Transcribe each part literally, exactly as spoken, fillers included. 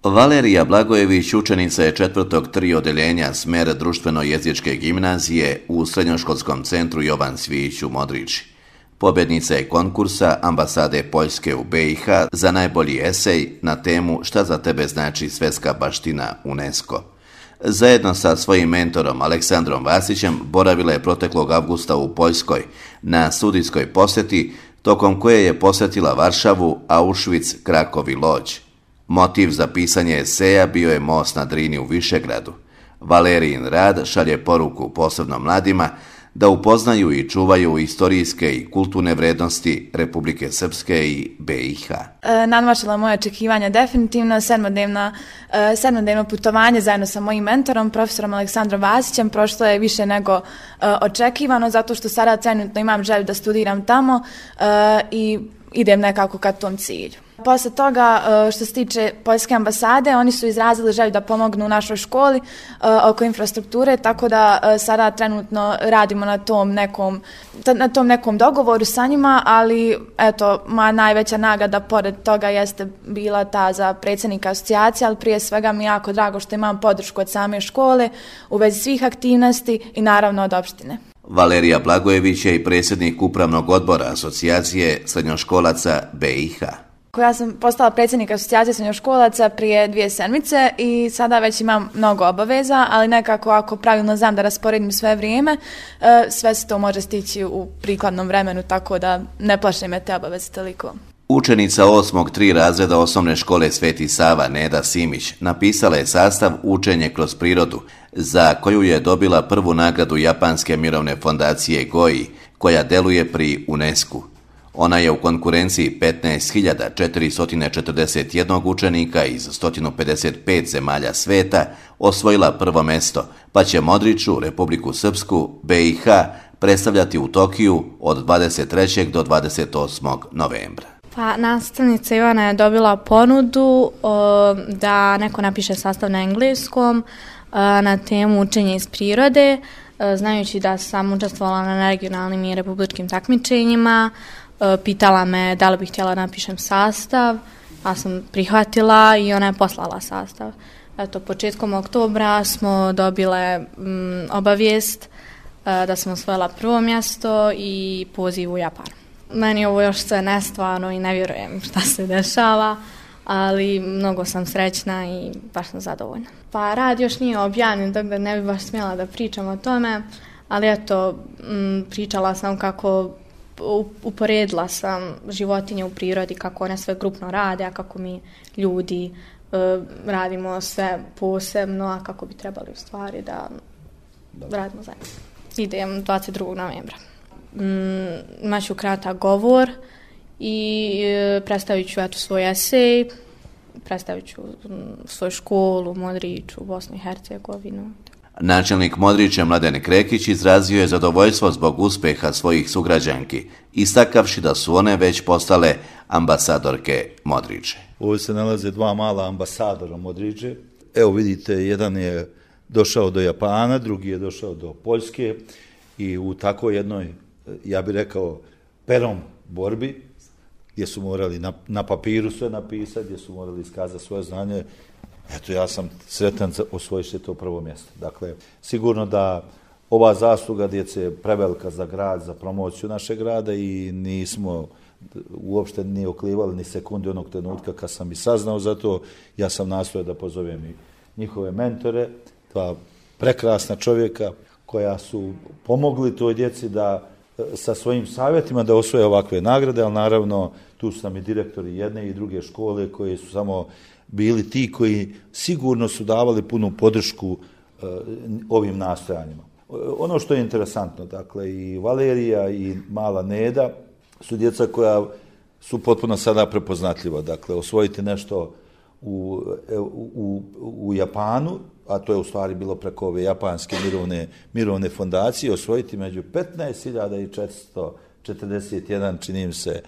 Valerija Blagojević učenica je četvrtog tri odeljenja smer društveno-jezičke gimnazije u Srednjoškolskom centru Jovan Cvijić u Modriči. Pobjednica je konkursa Ambasade Poljske u be i ha za najbolji esej na temu Šta za tebe znači svjetska baština UNESCO. Zajedno sa svojim mentorom Aleksandrom Vasićem boravila je proteklog avgusta u Poljskoj na studijskoj posjeti, tokom koje je posjetila Varšavu, Auschwitz, Krakov i Lodz. Motiv za pisanje eseja bio je most na Drini u Višegradu. Valerijin rad šalje poruku posebno mladima da upoznaju i čuvaju istorijske i kulturne vrednosti Republike Srpske i be i ha. E, nadmašila moje očekivanja definitivno. Sedmodnevno, e, sedmodnevno putovanje zajedno sa mojim mentorom, profesorom Aleksandrom Vasićem, prošlo je više nego e, očekivano, zato što sada trenutno imam želju da studiram tamo e, i idem nekako ka tom cilju. Posle toga, što se tiče Poljske ambasade, oni su izrazili želju da pomognu u našoj školi oko infrastrukture, tako da sada trenutno radimo na tom nekom, na tom nekom dogovoru sa njima, ali eto, moja najveća nagrada pored toga jeste bila ta za predsjednika asocijacije, ali prije svega mi je jako drago što imam podršku od same škole u vezi svih aktivnosti i naravno od opštine. Valerija Blagojević je i predsjednik upravnog odbora asocijacije srednjoškolaca be i ha. Ja sam postala predsjednik asocijacije srednjoškolaca prije dvije sedmice i sada već imam mnogo obaveza, ali nekako ako pravilno znam da rasporedim sve vrijeme, sve se to može stići u prikladnom vremenu, tako da ne plaše me te obaveze toliko. Učenica osmog tri razreda osnovne škole Sveti Sava Neda Simić napisala je sastav Učenje kroz prirodu, za koju je dobila prvu nagradu Japanske mirovne fondacije Goi, koja deluje pri UNESCO. Ona je u konkurenciji petnaest hiljada četiristo četrdeset jedan učenika iz sto pedeset pet zemalja sveta osvojila prvo mesto, pa će Modriču, Republiku Srpsku, be i ha predstavljati u Tokiju od dvadeset trećeg do dvadeset osmog novembra. Pa nastavnica Ivana je dobila ponudu o, da neko napiše sastav na engleskom o, na temu učenja iz prirode, o, znajući da sam učestvovala na regionalnim i republičkim takmičenjima. O, pitala me da li bih htjela napišem sastav, a sam prihvatila i ona je poslala sastav. Eto, početkom oktobra smo dobile m, obavijest o, da sam osvojila prvo mjesto i poziv u Japanu. Meni ovo još sve nestvarno i ne vjerujem šta se dešava, ali mnogo sam srećna i baš sam zadovoljna. Pa rad još nije objavljen, tako da ne bi baš smjela da pričam o tome, ali eto, m, pričala sam kako uporedila sam životinje u prirodi, kako one sve grupno rade, a kako mi ljudi e, radimo sve posebno, a kako bi trebali u stvari da radimo zajedno. Idem dvadeset drugog novembra. Mm, imaću kratak govor i e, predstavit ću eto, svoj esej, predstavit ću m, svoju školu, Modriču, Bosnu i Hercegovinu. Načelnik Modrića Mladen Krekić izrazio je zadovoljstvo zbog uspjeha svojih sugrađanki, istakavši da su one već postale ambasadorke Modriče. Ovdje se nalaze dva mala ambasadora Modriče. Evo vidite, jedan je došao do Japana, drugi je došao do Poljske i u tako jednoj, ja bih rekao, perom borbi, gdje su morali na, na papiru sve napisati, gdje su morali iskazati svoje znanje. Eto, ja sam sretan osvojiti to prvo mjesto. Dakle, sigurno da ova zasluga djece je prevelika za grad, za promociju našeg grada i nismo uopšte ni oklivali ni sekunde onog trenutka kad sam i saznao za to. Ja sam nastojao da pozovem i njihove mentore, dva prekrasna čovjeka koja su pomogli toj djeci da sa svojim savjetima da osvoje ovakve nagrade, ali naravno tu su nam i direktori jedne i druge škole koji su samo bili ti koji sigurno su davali punu podršku uh, ovim nastojanjima. Ono što je interesantno, dakle, i Valerija i mala Neda su djeca koja su potpuno sada prepoznatljiva. Dakle, osvojiti nešto u, u, u Japanu, a to je u stvari bilo preko ove japanske mirovne, mirovne fondacije, osvojiti među petnaest hiljada četiristo četrdeset jedan, čini mi se,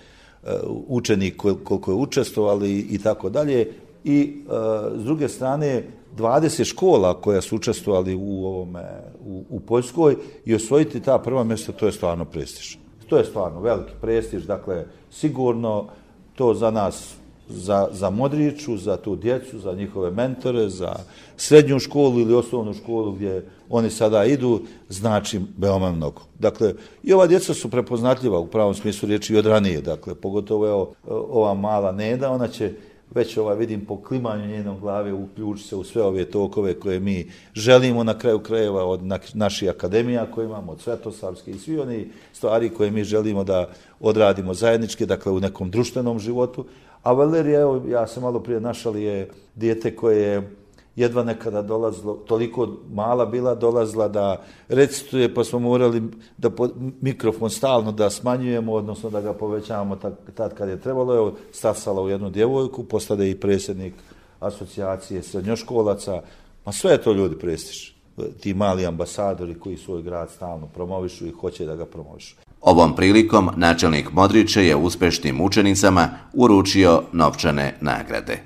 uh, učenik koliko je učestvovali i tako dalje. I uh, s druge strane dvadeset škola koja su učestvovali u ovome u, u Poljskoj i osvojiti ta prva mjesta, to je stvarno prestiž. To je stvarno veliki prestiž, dakle sigurno to za nas za, za Modriču, za tu djecu, za njihove mentore, za srednju školu ili osnovnu školu gdje oni sada idu, znači veoma mnogo. Dakle, i ova djeca su prepoznatljiva u pravom smislu riječi i od ranije. Dakle, pogotovo evo, ova mala Neda, ona će već ovaj, vidim po klimanju njenom glave uključiti se u sve ove tokove koje mi želimo na kraju krajeva od na, naših akademija koje imamo, od Svetosavske i svi oni stvari koje mi želimo da odradimo zajednički, dakle u nekom društvenom životu. A Valerija, evo, ja sam malo prije našali, je dijete koje je jedva nekada dolazilo, toliko mala bila dolazila da recituje, pa smo morali da po, mikrofon stalno da smanjujemo, odnosno da ga povećavamo tad kad je trebalo. Evo, stasala u jednu djevojku, postade i predsjednik asocijacije srednjoškolaca. Ma sve je to ljudi prestiž. Ti mali ambasadori koji svoj grad stalno promovišu i hoće da ga promovišu. Ovom prilikom načelnik Modriče je uspešnim učenicama uručio novčane nagrade.